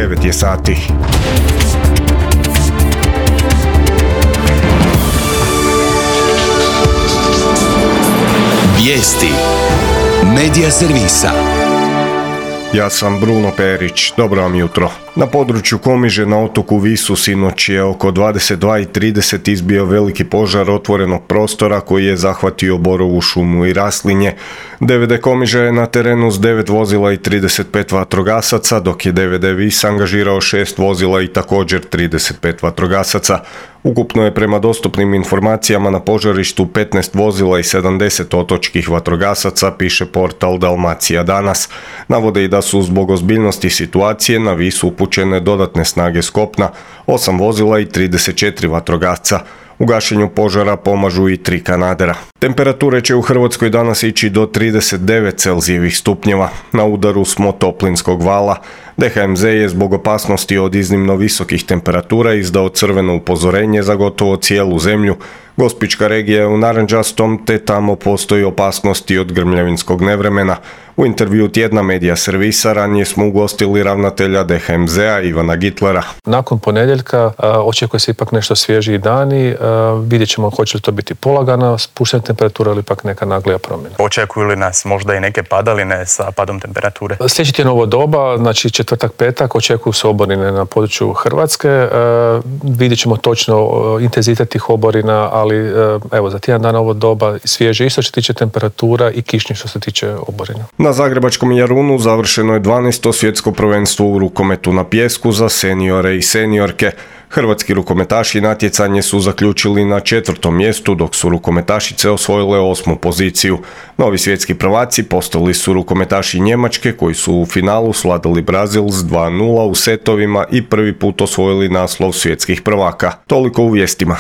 9 je sati. Vijesti Medija servisa. Ja sam Bruno Perić, dobro vam jutro. Na području Komiže na otoku Visu sinoć je oko 22:30 izbio veliki požar otvorenog prostora koji je zahvatio borovu šumu i raslinje. DVD Komiža je na terenu s 9 vozila i 35 vatrogasaca, dok je DVD Vis angažirao 6 vozila i također 35 vatrogasaca. Ukupno je prema dostupnim informacijama na požarištu 15 vozila i 70 otočkih vatrogasaca, piše portal Dalmacija danas. Navode i da su zbog ozbiljnosti situacije na Visu upućene dodatne snage s kopna, 8 vozila i 34 vatrogasca. U gašenju požara pomažu i 3 kanadera. Temperature će u Hrvatskoj danas ići do 39 Celzijevih stupnjeva. Na udaru smo toplinskog vala. DHMZ je zbog opasnosti od iznimno visokih temperatura izdao crveno upozorenje za gotovo cijelu zemlju. Gospićka regija je u narančastom, te tamo postoji opasnosti od grmljavinskog nevremena. U intervju tjedna Medija servisa ranije smo ugostili ravnatelja DHMZ-a Ivana Gitlera. Nakon ponedjeljka očekuje se ipak nešto svježiji dani. Vidjet ćemo hoće li to biti polagana spuštena temperatura ili ipak neka naglija promjena. Očekuju li nas možda i neke padaline sa padom temperature? Sljedeći tjedan ovo doba, znači četvrtak, petak, očekuju se oborine na području Hrvatske. Vidjet ćemo točno intenzitet tih oborina, ali evo za tjedan dana ovo doba svježe isto što se tiče temperatura i kišnje što se tiče oborina. Na zagrebačkom Jarunu završeno je 12. svjetsko prvenstvo u rukometu na pijesku za seniore i seniorke. Hrvatski rukometaši natjecanje su zaključili na 4. mjestu, dok su rukometašice osvojile 8. poziciju. Novi svjetski prvaci postali su rukometaši Njemačke, koji su u finalu svladali Brazil s 2:0 u setovima i prvi put osvojili naslov svjetskih prvaka. Toliko u vijestima.